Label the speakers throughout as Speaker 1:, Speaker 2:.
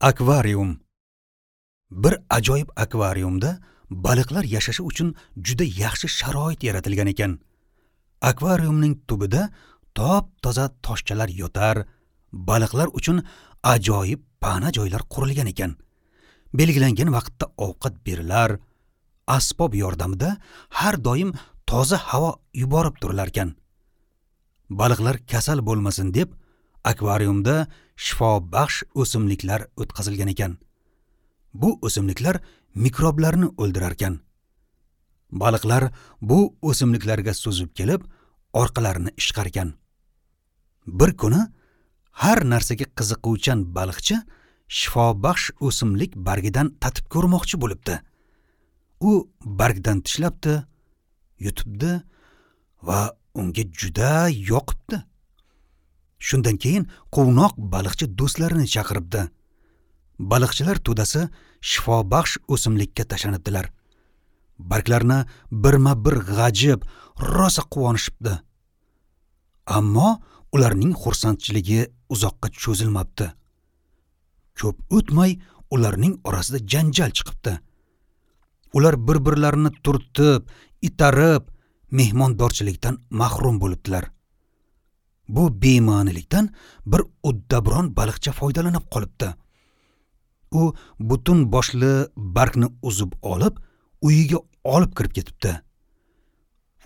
Speaker 1: Akvarium. Bir ajoyib akvariumda baliqlar yashashi uchun juda yaxshi sharoit yaratilgan ekan. Akvariumning tubida top-toza toshchalar yotar, baliqlar uchun ajoyib pana joylar qurilgan ekan. Belgilangan vaqtda ovqat berilar, asbob yordamida har doim toza havo yuborib turilar ekan. Baliqlar kasal bo'lmasin deb akvariumda shifobaxsh o'simliklar o'tkazilgan ekan. Bu o'simliklar mikroblarni o'ldirar ekan. Baliqlar bu o'simliklarga suzib kelib, orqalarini ishqar ekan. Bir kuni har narsaga qiziquvchan baliqchi shifobaxsh o'simlik bargidan tatib ko'rmoqchi bo'libdi. U bargdan tishlabdi, yutibdi va unga juda yoqibdi. Shundan keyin quvnoq baliqchi do'stlarini chaqiribdi. Baliqchilar to'dasi shifobaxsh o'simlikka tashlanibdilar. Barglarni birma-bir g'ajib, rosa quvonishibdi. Ammo ularning xursandchiligi uzoqqa cho'zilmabdi. Ko'p o'tmay ularning orasida janjal chiqibdi. Ular bir-birlarini turtib, itarib, mehmondorchilikdan mahrum bo'libdilar. Bu bema'nilikdan bir uddabron baliqcha foydalanib qolibdi. U butun boshli bargni uzib olib, uyiga olib kirib ketibdi.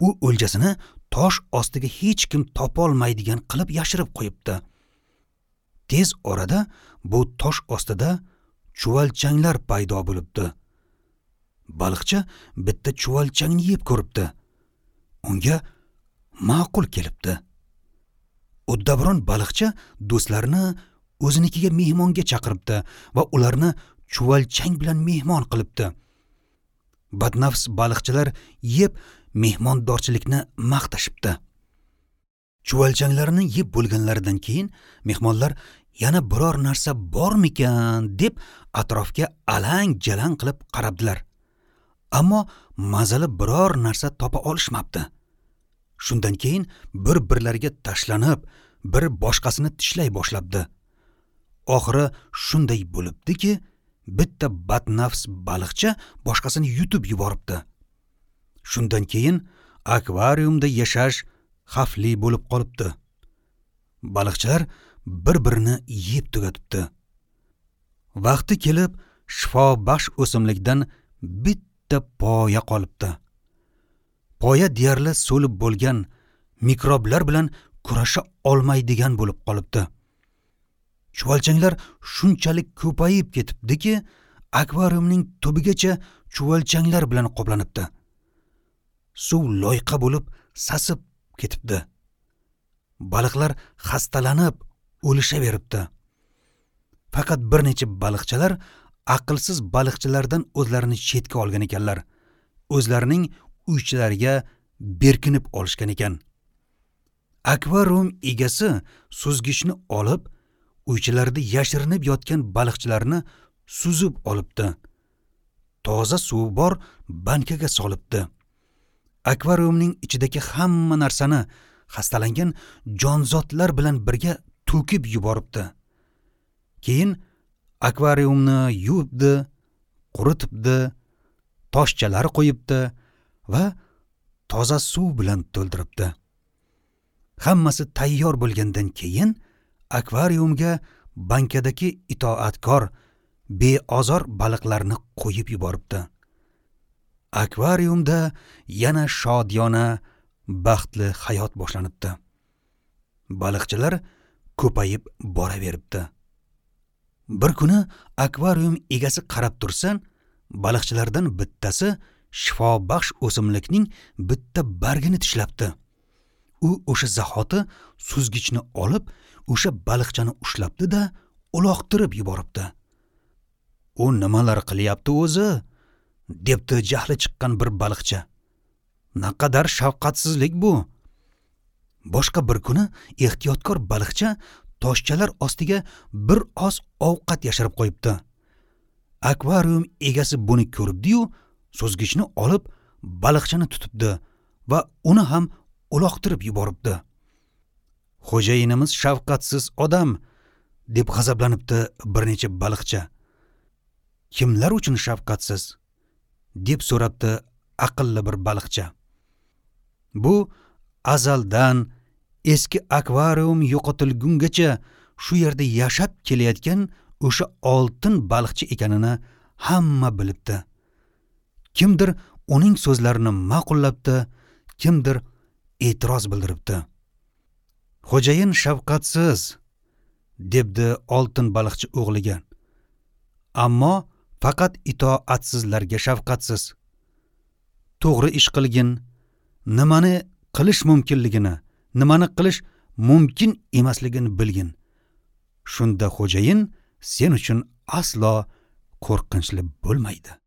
Speaker 1: U o'ljasini tosh ostiga hech kim topolmaydigan qilib yashirib qo'yibdi. Tez orada bu tosh ostida chuvalchanglar paydo bo'libdi. Baliqcha bitta chuvalchangni yeb ko'ribdi. Unga ma'qul kelibdi. Uddabron baliqcha do'stlarini o'zinikiga mehmonga chaqiribdi va ularni chuvalchang bilan mehmon qilibdi. Badnafs baliqchilar yeb mehmondorchilikni maqtashibdi. Chuvalchanglarni yeb bo'lganlaridan keyin mehmonlar yana biror narsa bormikan deb atrofga alang-jalang qilib qarabdilar. Ammo mazali biror narsa topa olishmabdi. Shundan keyin bir-birlariga tashlanib, bir boshqasini tishlay boshlabdi. Oxiri shunday bo'libdiki, bitta badnafs baliqcha boshqasini yutib yuboribdi. Shundan keyin akvariumda yashash xavfli bo'lib qolibdi. Baliqchilar bir-birini yeb tugatibdi. Vaqti kelib shifobaxsh o'simlikdan bitta poya qolibdi. Poya deyarli so'lib bo'lgan, mikroblar bilan kurasha olmaydigan bo'lib qolibdi. Chuvalchanglar shunchalik ko'payib ketibdiki, akvariumning tubigacha chuvalchanglar bilan qoplanibdi. Suv loyqa bo'lib sasib ketibdi. Baliqlar xastalanib o'lishaveribdi. Faqat bir necha baliqchalar aqlsiz baliqchilardan o'zlarini chetga olgan ekanlar. O'zlarining uychalariga berkinib olishgan ekan. Akvarium egasi suzgichni olib, uychalarda yashirinib yotgan baliqchilarni suzib olibdi. Toza suvi bor bankaga solibdi. Akvariumning ichidagi hamma narsani xastalangan jonzotlar bilan birga to'kib yuboribdi. Keyin akvariumni yuvibdi, quritibdi, toshchalar qo'yibdi va toza suv bilan to'ldiribdi. Hammasi tayyor bo'lgandan keyin akvariumga bankadagi itoatkor, beozor baliqlarni qo'yib yuboribdi. Akvariumda yana shodiyona, baxtli hayot boshlanibdi. Baliqchilar ko'payib boraveribdi. Bir kuni akvarium egasi qarab tursa, baliqchilardan bittasi shifobaxsh o'simlikning bitta bargini tishlabdi. U o'sha zahoti suzgichni olib, o'sha baliqchani ushlabdi-da, uloqtirib yuboribdi. U nimalar qilyapti o'zi? Debdi jahli chiqqan bir baliqcha. Naqadar shafqatsizlik bu. Boshqa bir kuni ehtiyotkor baliqcha toshchalar ostiga bir oz ovqat yashirib qo'yibdi. Akvarium egasi buni ko'ribdi-yu, suzgichni olib baliqchani tutibdi va uni ham uloqtirib yuboribdi. Xo'jayinimiz shafqatsiz odam, deb g'azablanibdi bir necha baliqchi. Kimlar uchun shafqatsiz? Deb so'rabdi aqlli bir baliqchi. Bu azaldan eski akvarium yo'qotilgungacha shu yerda yashab kelayotgan o'sha oltin baliqchi ekanini hamma bilibdi. Kimdir uning so'zlarini ma'qullabdi, kimdir e'tiroz bildiribdi. Xo'jayin shafqatsiz, debdi oltin baliqchi o'g'liga. Ammo faqat itoatsizlarga shafqatsiz. To'g'ri ish qilgin, nimani qilish mumkinligini, nimani qilish mumkin emasligini bilgin. Shunda xo'jayin sen uchun aslo qo'rqinchli bo'lmaydi.